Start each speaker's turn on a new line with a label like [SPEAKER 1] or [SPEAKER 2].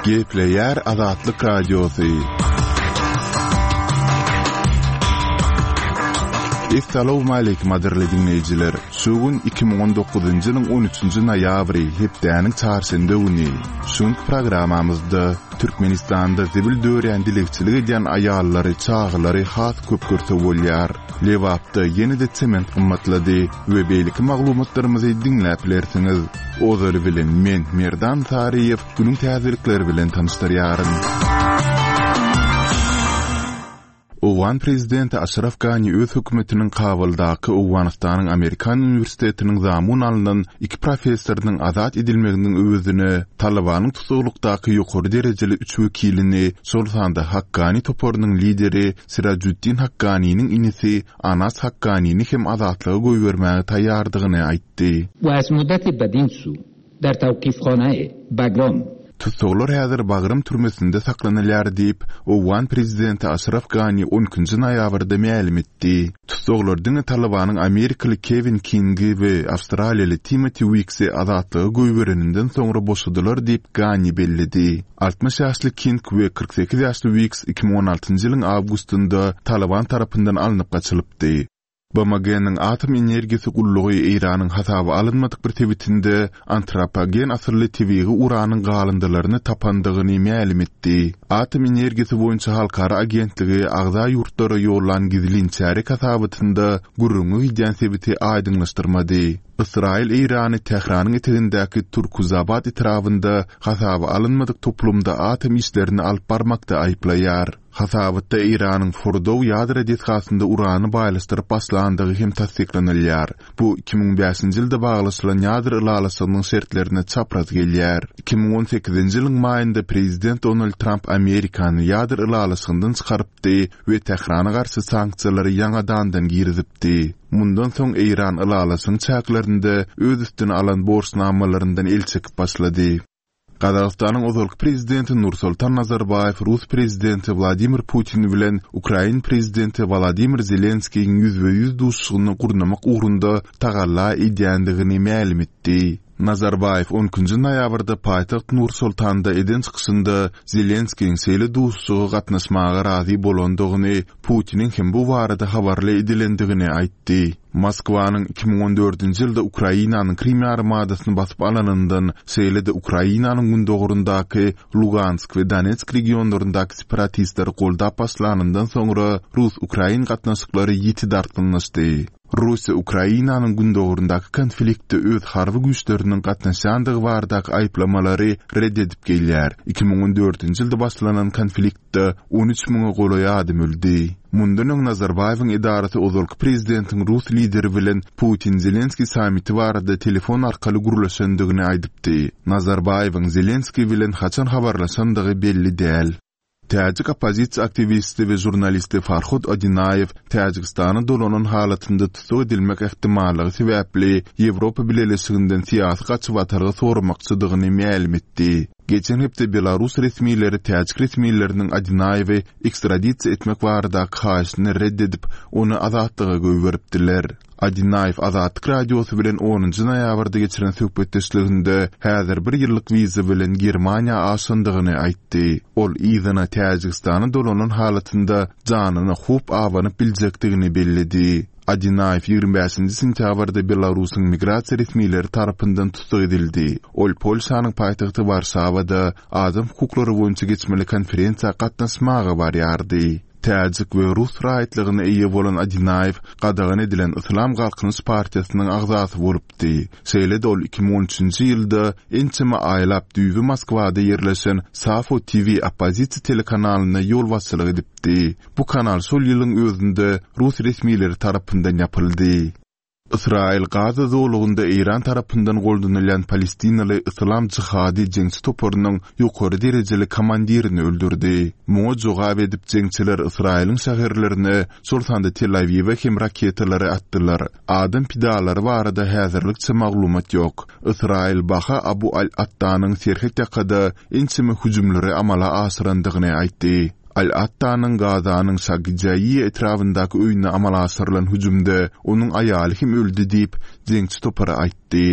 [SPEAKER 1] Gepleýär Azatlyk Radiosy. Essalawmaleýkim gadyrly diňleýjiler! Şu gün 2019-njy ýylyň 13-nji noýabry, hepdäniň çarşenbe güni. Şu günki programmamyzda Türkmenistanda zibil dörýän dilegçilik edýän aýallary, çagalary has köp görse bolýar. Lebapda ýene-de sement gymmatlady we beýleki maglumatlarymyzy diňläp bilersiňiz. Ozaly bilen men, Merdan Saryýew, günüň täzelikleri bilen tanyşdyrýaryn. Owgan prezidenti Aşraf Gani öz hökümetiniň Kabuldaky Owganystanyň Amerikan uniwersitetiniň zamun alnan iki professorynyň azat edilmeginiň öwezine Talybanyň tussaglykdaky ýokary derejeli üç wekilini, şol sanda Hakkani toparynyň lideri Sirajuddin Hakganiniň inisi Anas Hakganini hem azatlyga goýbermäge taýýardygyny aýtdy.
[SPEAKER 2] و از مدتی بدین سو در توقیفخانه بگرام.
[SPEAKER 1] Tussaglar häzir Bagram türmesinde saklanylýar diýip, owgan prezidenti Aşraf Gani on ikinji noýabrda mälim etdi. Tussaglar diňe Talybanyň amerikaly Kewin Kingi we awstraliýaly Timoti Wiksi azatlyga goýbereninden soňra boşadylar diýip, Gani belledi. 60 ýaşly King we 48 ýaşly Wiks 2016-njy ýylyň awgustynda Talyban tarapyndan alnyp gaçylypdy. BMG-niň Atom energiýasy gullugy Eýranyň hasaba alynmadyk bir sebitinde antropogen asylly tebigy uranyň galyndylaryny tapandygyny mälim etdi. Atom energiýasy boýunça halkara agentligi agza ýurtlara ýollan gizlin çärýek hasabatynda gürrüňi gidýän sebiti aýdyňlaşdyrmady. Ysraýyl Eýrany Tähranyň etegindäki Turkuzabad etrabynda hasaba alynmadyk toplumda atom işlerini alyp barmakda aýyplaýar. Hasabatda Eýranyň Fordow ýadro desgasynda urany baýlaşdyryp başlandygy hem tassyklanylýar. Bu 2005-nji ýylda baglaşylan ýadro ylalaşygynyň şertlerine çapraz gelýär. 2018-nji ýylyň maýynda prezident Donald Tramp Amerikany ýadro ylalaşygyndan çykarypdy we Tährana garşy sanksiýalary ýaňadandan girizipdi. Mundan soň Eýran ylalaşygyň çäklerinde öz üstüne alan borçnamalaryndan el çekip başlady. Gazagystanyň ozalky prezidenti Nursultan Nazarbaýew rus prezidenti Wladimir Putin bilen ukrain prezidenti Wolodymyr Zelenskiýiň ýüzbe-ýüz duşuşygyny gurnamak ugrunda tagalla edýändigini mälim etdi. Nazarbaýew on ikinji noýabrda paýtagt Nur-Sultanda eden çykyşynda Zelenskiýiň şeýle duşuşyga gatnaşmaga razy bolandygyny, Putiniň hem bu barada habarly edilendigini aýtdy. Moskwanyň 2014-nji ýylda Ukrainanyň Krym ýarymadasyny basyp alanyndan, şeýle-de Ukrainanyň gündogaryndaky Lugansk we Donetsk regionlaryndaky separatistleri goldap başlanyndan soňra rus-ukrain gatnaşyklary ýiti dartgynlaşdy. Russiýa Ukrainanyň gündogaryndaky konfliktde öz harby güýçleriniň gatnaşýandygy baradaky aýyplamalary ret edip gelýär. 2014-nji ýylda başlanan konfliktde 13 müňe golaý adam öldi. Mundan öň Nazarbaýewiň edarasy ozalky prezidentiň rus lideri bilen Putin-Zelenskiý sammiti barada telefon arkaly gürleşendigini aýdypdy. Nazarbaýewiň Zelenskiý bilen haçan habarlaşandygy belli däl. Täjik oppozisiýa aktiwisti we žurnalisti Farhod Odinaýew Täjigistana dolanan halatynda tussag edilmek ähtimallygy sebäpli Ýewropa Bileleşiginden syýasy gaçybatalga soramakçydygyny mälim etdi. Geçen hepde belarus resmileri täjik resmileriniň Odinaýewi ekstradisiýa etmek baradaky haýyşyny ret edip, ony azatlyga goýberipdiler. Adinaýew Azatlyk Radiosy bilen onunjy noýabrda geçiren söhbetdeşliginde häzir bir ýyllyk wiza bilen Germaniýa aşandygyny aýtdy. Ol yzyna Täjigistana dolanan halatynda janyna howp abanyp biljekdigini belledi. Adinaýew 25-nji sentýabrda Belarusyň migrasiýa resmileri tarapyndan tussag edildi. Ol Polşanyň paýtagty Warşawada adam hukuklary boýunça geçmeli konferensiýa gatnaşmaga barýardy. Täjik we rus raýatlygyna eýe bolan Adinaýew gadagan edilen Yslam Galkynyş partiýasynyň agzasy bolupdy. Şeýle-de ol 2013-nji ýylda ençeme aýlap düýbi Moskwada ýerleşen Safo TV oppozisiýa telekanalyna ýolbaşçylyk edipdi. Bu kanal şol ýylyň özünde rus resmileri tarapyndan ýapyldy. Ysraýyl Gaza zolagynda Eýran tarapyndan goldanylýan palestinaly Yslam jihady jeňçi toparynyň ýokary derejeli komandirini öldürdi. Muňa jogap edip, jeňçiler Ysraýylyň şäherlerine, şol sanda Tel-Awiwe hem raketalary atdylar. Adam pidalary barada häzirlikçe maglumat ýok. Ysraýyl Baha Abu al-Attanyň serhet ýakada ençeme hüjümleri amala aşyrandygyny aýtdy. Al-Attanyň Gazanyň Şagjaiýa etrabyndaky öýüne amala aşyrylan hüjümde onuň aýaly hem öldi diýip, jeňçi topary aýtdy.